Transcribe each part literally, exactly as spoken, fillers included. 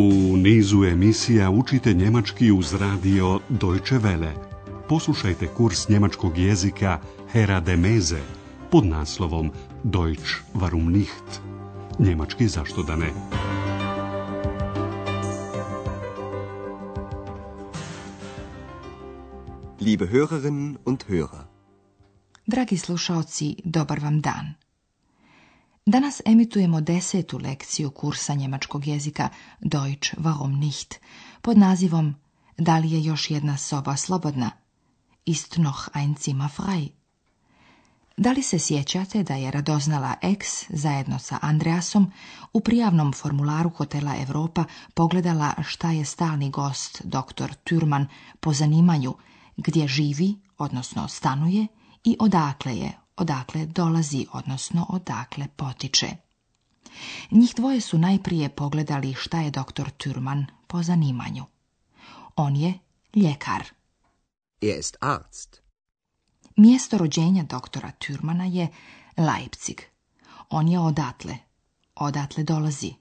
U nizu emisija učite njemački uz radio Deutsche Welle. Poslušajte kurs njemačkog jezika Hera de Meze pod naslovom Deutsch warum nicht? Njemački zašto da ne? Liebe Hörerinnen und Hörer. Dragi slušaoci, dobar vam dan. Danas emitujemo desetu lekciju kursa njemačkog jezika Deutsch warum nicht pod nazivom Da li je još jedna soba slobodna? Ist noch ein Zimmer frei? Da li se sjećate da je radoznala X zajedno sa Andreasom u prijavnom formularu hotela Europa pogledala šta je stalni gost doktor Thürmann po zanimanju, gdje živi, odnosno stanuje, i odakle je, odakle dolazi, odnosno odakle potiče. Njih dvoje su najprije pogledali šta je doktor Thürmann po zanimanju. On je ljekar. Er ist Arzt. Mjesto rođenja doktora Thürmanna je Leipzig. On je odatle. Odatle dolazi.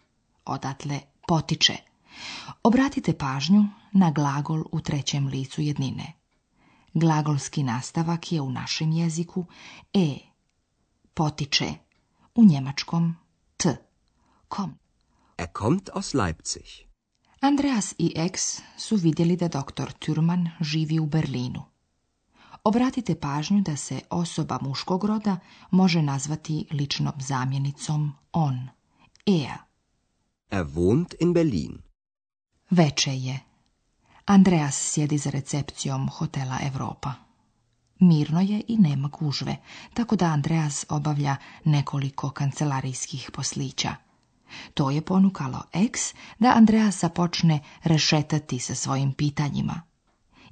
Odatle potiče. Obratite pažnju na glagol u trećem licu jednine. Glagolski nastavak je u našem jeziku e. Potiče. U njemačkom t. Kom. Er kommt aus Leipzig. Andreas i X su vidjeli da doktor Thürmann živi u Berlinu. Obratite pažnju da se osoba muškog roda može nazvati ličnom zamjenicom on. Er. Er wohnt in Berlin. Veče je. Andreas sjedi za recepcijom hotela Europa. Mirno je i nema gužve, tako da Andreas obavlja nekoliko kancelarijskih poslića. To je ponukalo X da Andreasa počne rešetati sa svojim pitanjima.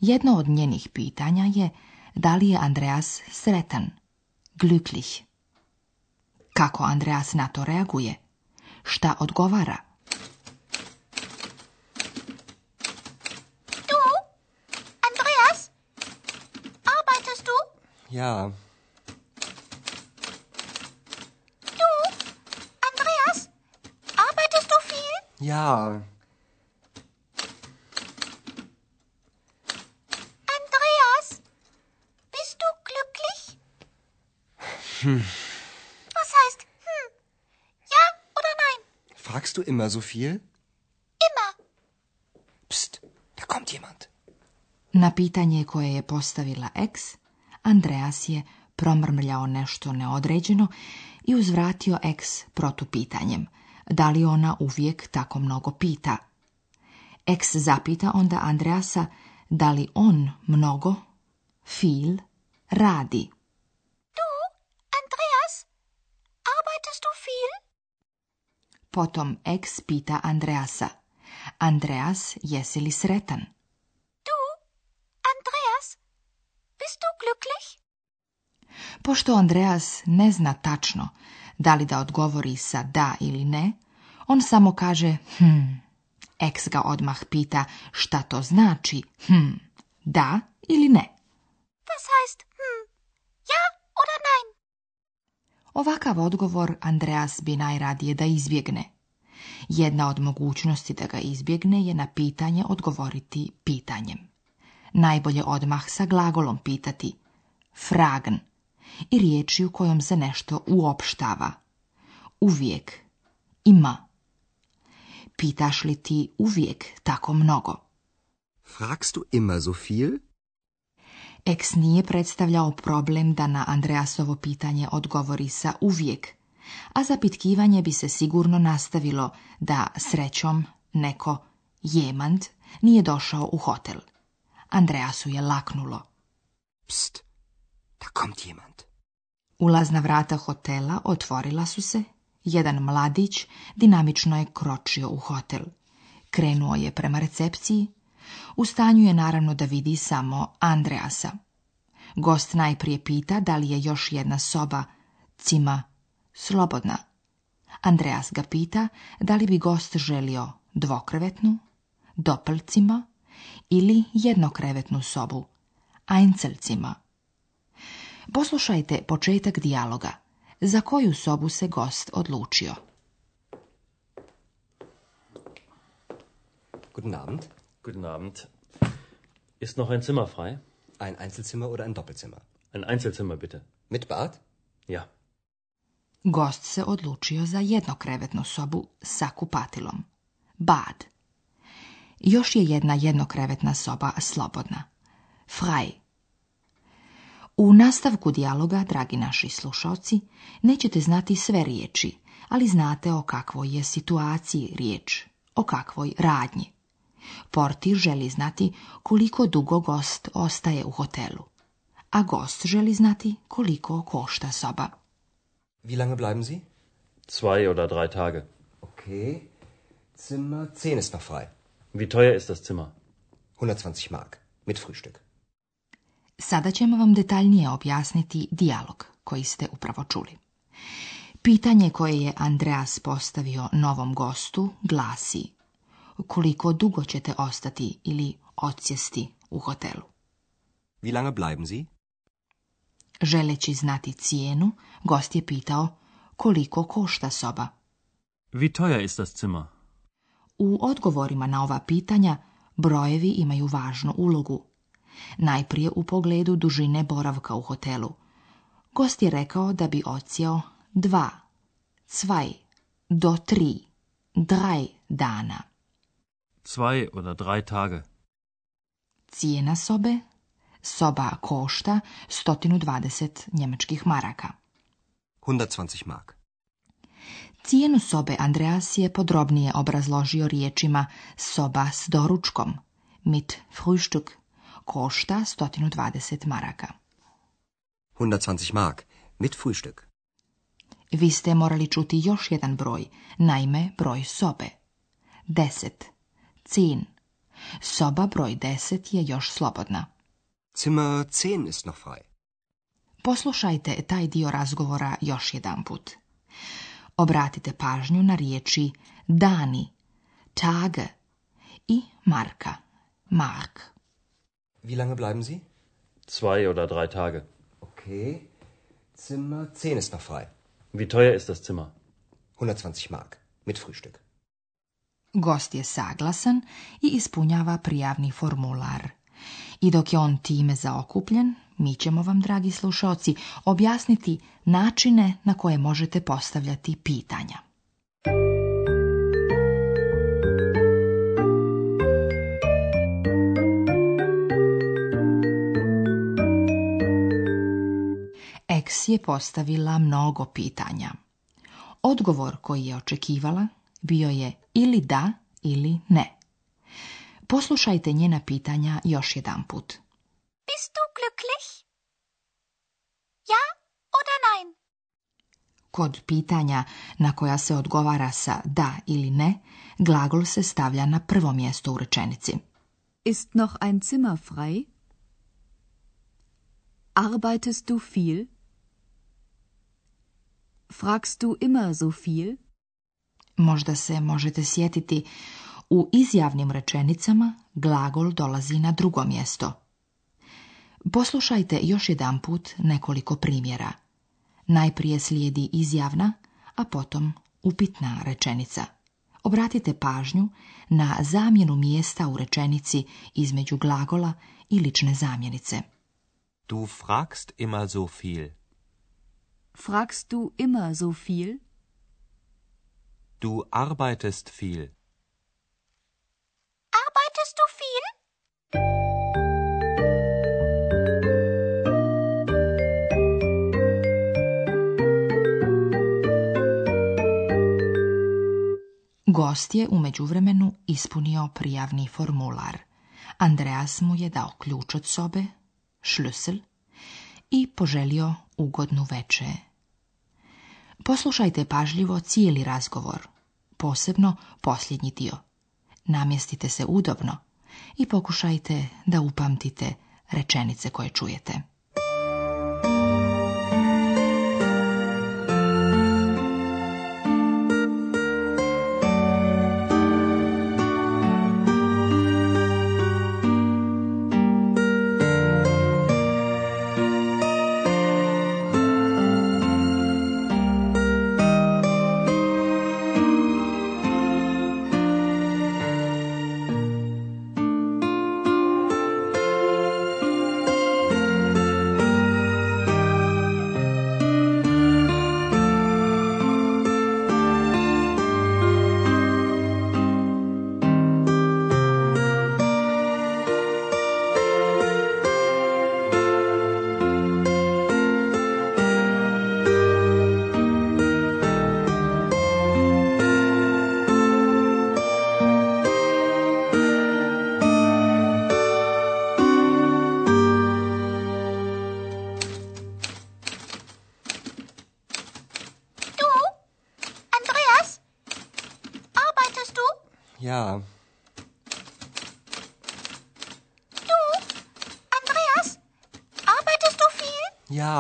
Jedno od njenih pitanja je da li je Andreas sretan, glücklich. Kako Andreas na to reaguje? Šta odgovara? Du, Andreas, arbeitest du? Ja. Du, Andreas, arbeitest du viel? Ja. Hm. Was heißt hm? Ja oder nein? Fragst du immer so viel? Immer. Psst, da kommt jemand. Na pitanje koje je postavila X, Andreas je promrmljao nešto neodređeno i uzvratio X protupitanjem. Da li ona uvijek tako mnogo pita? X zapita onda Andreasa da li on mnogo, viel, radi. Potom X pita Andreasa. Andreas, jesi li sretan? Du, Andreas, bist du glücklich? Pošto Andreas ne zna tačno da li da odgovori sa da ili ne, on samo kaže hm. X ga odmah pita šta to znači hm. Da ili ne? Was heißt hm? Ja oder nein? Ovakav odgovor Andreas bi najradije da izbjegne. Jedna od mogućnosti da ga izbjegne je na pitanje odgovoriti pitanjem. Najbolje odmah sa glagolom pitati fragen i riječju kojom se nešto uopštava. Uvijek, ima. Pitaš li ti uvijek tako mnogo? Fragst du immer so viel? X nije predstavljao problem da na Andreasovo pitanje odgovori sa uvijek, a zapitkivanje bi se sigurno nastavilo da srećom neko jemand nije došao u hotel. Andreasu je laknulo. Psst, da kommt jemand. Ulazna vrata hotela otvorila su se. Jedan mladić dinamično je kročio u hotel. Krenuo je prema recepciji. U stanju je naravno da vidi samo Andreasa. Gost najprije pita da li je još jedna soba, cima, slobodna. Andreas ga pita da li bi gost želio dvokrevetnu, doppelcima ili jednokrevetnu sobu, Einzelzimmer. Poslušajte početak dijaloga. Za koju sobu se gost odlučio? Guten Abend. Guten Abend. Ist noch ein Zimmer frei? Ein Einzelzimmer oder ein Doppelzimmer? Ein Einzelzimmer, bitte. Mit Bad? Ja. Gost se odlučio za jednokrevetnu sobu sa kupatilom. Bad. Još je jedna jednokrevetna soba slobodna. Frei. U nastavku dijaloga, dragi naši slušalci, nećete znati sve riječi, ali znate o kakvoj je situaciji riječ, o kakvoj radnji. Portir želi znati koliko dugo gost ostaje u hotelu, a gost želi znati koliko košta soba. Wie lange bleiben Sie? Zwei oder drei Tage. Okay. Zimmer zehn ist noch frei. Wie teuer ist das Zimmer? hundertzwanzig Mark. Mit Frühstück. Sada ćemo vam detaljnije objasniti dijalog koji ste upravo čuli. Pitanje koje je Andreas postavio novom gostu glasi: koliko dugo ćete ostati ili odsjesti u hotelu? Wie lange bleiben Sie? Želeći znati cijenu, gost je pitao koliko košta soba. Wie teuer ist das Zimmer? U odgovorima na ova pitanja brojevi imaju važnu ulogu. Najprije u pogledu dužine boravka u hotelu. Gost je rekao da bi odsjeo dva, zwei, do tri, drei dana. Zwei oder drei Tage. Cijena sobe? Soba košta sto dvadeset njemačkih maraka. hundertzwanzig Mark. Cijenu sobe Andreas je podrobnije obrazložio riječima soba s doručkom, mit Frühstück, košta sto dvadeset maraka. hundertzwanzig Mark. Mit Frühstück. Vi ste morali čuti još jedan broj, naime broj sobe. Deset. Zehn. Soba broj deset je još slobodna. Zimmer zehn ist noch frei. Poslušajte taj dio razgovora još jedan put. Obratite pažnju na riječi dani, tage i marka, mark. Wie lange bleiben Sie? Zwei oder drei Tage. Okay. Zimmer zehn ist noch frei. Wie teuer ist das Zimmer? hundertzwanzig Mark. Mit Frühstück. Gost je saglasan i ispunjava prijavni formular. I dok je on time zaokupljen, mi ćemo vam, dragi slušaoci, objasniti načine na koje možete postavljati pitanja. Eks je postavila mnogo pitanja. Odgovor koji je očekivala bio je ili da ili ne. Poslušajte njena pitanja još jedan put. Bist du glücklich? Ja oder nein? Kod pitanja na koja se odgovara sa da ili ne, glagol se stavlja na prvo mjesto u rečenici. Ist noch ein Zimmer frei? Arbeitest du viel? Fragst du immer so viel? Možda se možete sjetiti, u izjavnim rečenicama glagol dolazi na drugo mjesto. Poslušajte još jedan put nekoliko primjera. Najprije slijedi izjavna, a potom upitna rečenica. Obratite pažnju na zamjenu mjesta u rečenici između glagola i lične zamjenice. Du fragst immer so viel. Fragst du immer so viel? Du arbeitest viel. Arbeitest du viel? Gost je u međuvremenu ispunio prijavni formular. Andreas mu je dao ključ od sobe, Schlüssel, i poželio ugodnu večer. Poslušajte pažljivo cijeli razgovor, posebno posljednji dio. Namjestite se udobno i pokušajte da upamtite rečenice koje čujete. Ja. Du, Andreas, arbeitest du viel? Ja.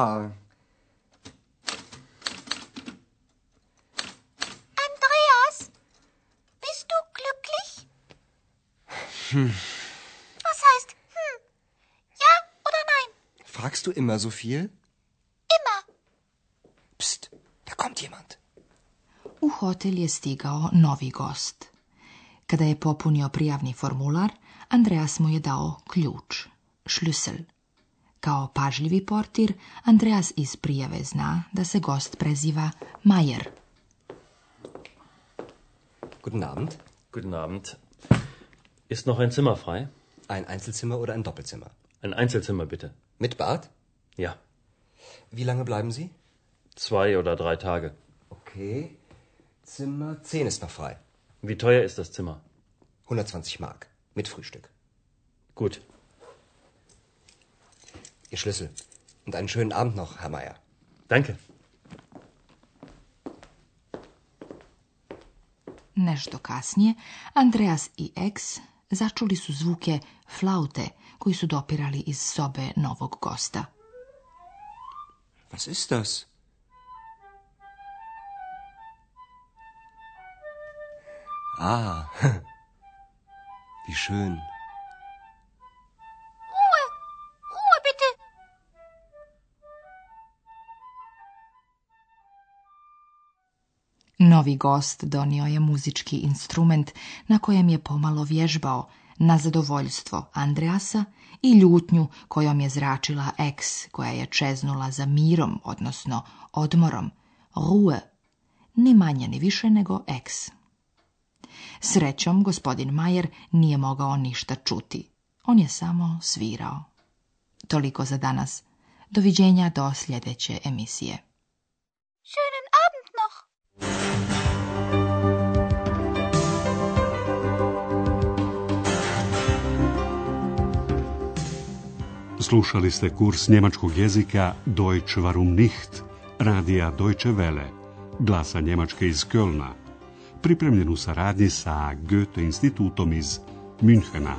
Andreas, bist du glücklich? Hm. Was heißt hm? Ja oder nein? Fragst du immer so viel? Immer. Psst, da kommt jemand. U hotel je stigao novi gost. Kada je popunio prijavni formular, Andreas mu je dao ključ, šlüssel. Kao pažljivi portir, Andreas iz prijave zna da se gost preziva Mayer. Guten Abend. Guten Abend. Ist noch ein Zimmer frei? Ein Einzelzimmer oder ein Doppelzimmer? Ein Einzelzimmer, bitte. Mit Bad? Ja. Wie lange bleiben Sie? Zwei oder drei Tage. Okay. Zimmer zehn ist noch frei. Wie teuer ist das Zimmer? hundertzwanzig Mark. Mit Frühstück. Gut. Ihr Schlüssel. Und einen schönen Abend noch, Herr Mayer. Danke. Nešto kasnije, Andreas i ex začuli su zvuke flaute koji su dopirali iz sobe novog gosta. Was ist das? Ah, wie schön. Ruhe, Ruhe bitte. Novi gost donio je muzički instrument na kojem je pomalo vježbao na zadovoljstvo Andreasa i ljutnju kojom je zračila ex koja je čeznula za mirom, odnosno odmorom. Ruhe, ni manje ni više nego ex. Srećom, gospodin Mayer nije mogao ništa čuti. On je samo svirao. Toliko za danas. Doviđenja do sljedeće emisije. Schönen Abend noch. Slušali ste kurs njemačkog jezika Deutsch warum nicht, radija Deutsche Welle, glasa Njemačke iz Kölna, pripremljen u saradnji sa Goethe institutom iz Münchena.